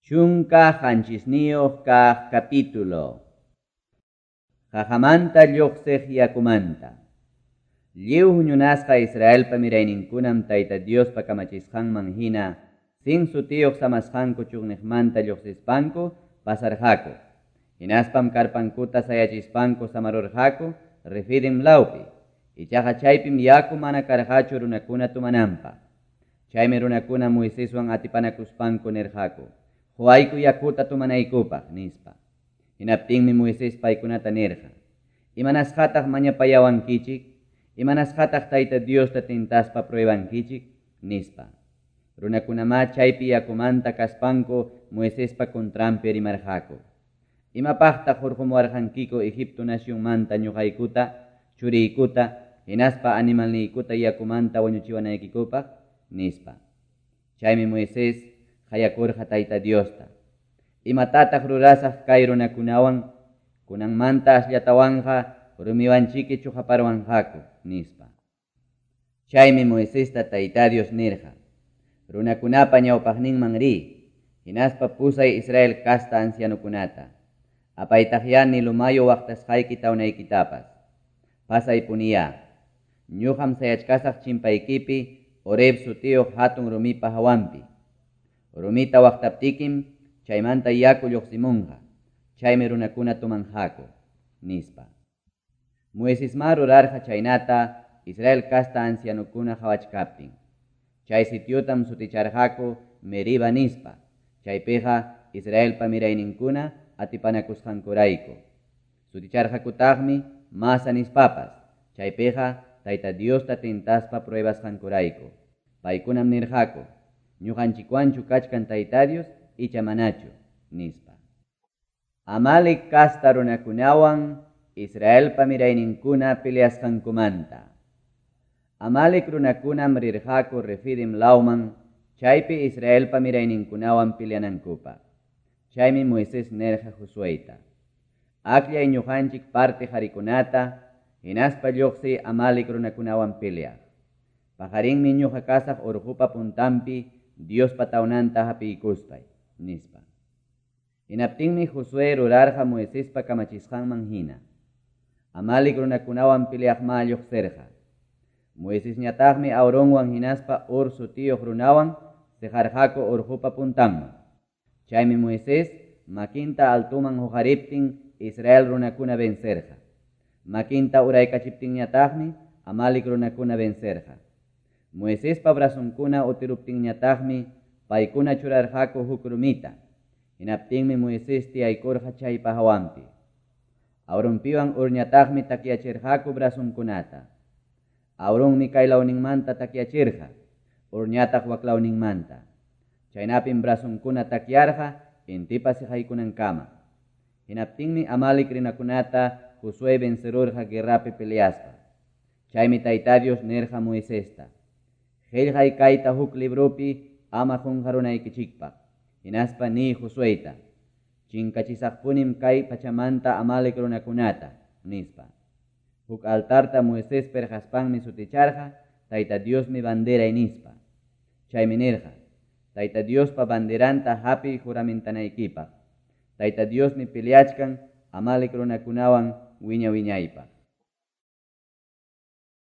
17 kaq capítulo. Qaqamanta lluqsiq yakumanta. Lliw huñunasqa Israelpa mirayninkunam Tayta Diospa kamachisqanman hina Sin sutiyuq samasqanku chunniqmanta lluqsispanku pasarqaku. Hinaspam karpankuta sayachispanku samarurqaku Refidim lawpi. Ichaqa chaypim yaku mana karqachu runakuna tomananpaq. Chaymi runakuna Moiseswan atipanakuspanku nirqaku: "Quwayku yakuta tomanaykupaq", nispa. Hinaptinmi Moisés paykunata nirqa: "Imanasqataq mañapayawankichik? Imanasqataq Tayta Diosta tentaspa pruebankichik?" nispa. Runakunamá chaypi yakumanta kaspanku Moisespa contranpi rimarqaku: "Imapaqtaq hurqumuwarqankiku Egipto nacionmanta ñuqaykuta, churiykuta, hinaspa animalniykuta yakumanta wañuchiwanaykikupaq?" nispa. Chaymi Moisés qayakurqa Tayta Diosta: "Imatataq rurasaq kay runakunawan? Kunanmanta asllatawanqa rumiwanchiki chuqaparwanqaku", nispa. Chaymi Moisesta Tayta Dios nirqa: "Runakunapa ñawpaqninman riy, hinaspa pusay Israel casta ancianokunata. Apaytaqyá Nilo mayu waqtasqayki tawnaykitapas. Pasaypuniyá. Ñuqam sayachkasaq chimpaykipi Horeb sutiyuq hatun rumipa hawanpi. Rumita waqtaptikim chaymanta yaku lluqsimunqa. Chaymi runakuna tomanqaku", nispa. Moisesmá rurarqa chaynata Israel casta ancianokuna qawachkaptin. Chay sitiotam suticharqaku Meriba nispa. Chaypiqa Israelpa mirayninkuna atipanakusqankurayku. Suticharqakutaqmi Masa nispapas. Chaypiqa Tayta Diosta tentaspa pruebasqankurayku. Paykunam nirqaku: "Ñuqanchikwanchu kachkan Tayta Dios icha manachu?" nispa. Amalec casta runakunawan Israelpa mirayninkuna peleasqankumanta. Amalec runakunam rirqaku Refidim lawman, chaypi Israelpa mirayninkunawan peleanankupaq. Chaymi Moisés nirqa Josueyta: "Akllay ñuqanchik parte qarikunata, hinaspa lluqsiy Amalec runakunawan peleaq. Paqarinmi ñuqa kasaq urqupa puntanpi Diospa tawnanta hapiykuspay", nispa. Hinaptinmi Josué rurarqa Moisespa kamachisqanman hina. Amalec runakunawan peleaqmá lluqsirqa. Moisesñataqmi Aaronwan hinaspa Hur sutiyuq runawan siqarqaku urqupa puntanman. Chaymi Moisés makinta altoman huqariptin Israel runakuna vencerqa. Makinta uraykachiptinñataqmi Amalec runakuna vencerqa. Moisespa brazonkuna utiruptinñataqmi paykuna churarqaku huk rumita. Hinaptinmi Moisés tiyaykurqa chaypa hawanpi. Aaronpiwan Hurñataqmi takyachirqaku brazonkunata. Aaronmi kaylawninmanta takyachirqa, Hurñataq waklawninmanta. Chaynapim brazonkuna takyarqa intipa siqaykunankama. Hinaptinmi Amalec runakunata Josué vencerurqa guerrapi peleaspa. Chaymi Tayta Dios nirqa Moisesta: "Qillqay kayta huk libropi ama qunqarunaykichikpaq. Hinaspa niy Josueyta: Chinkachisaqpunim kay pachamanta Amalec runakunata", nispa. Huk altarta Moisés perqaspanmi suticharqa "Tayta Diosmi banderay" nispa. Chaymi nirqa: "Tayta Diospa banderanta hapiy juramentanaykipaq. Tayta Diosmi peleachkan Amalec runakunawan wiña-wiñaypaq".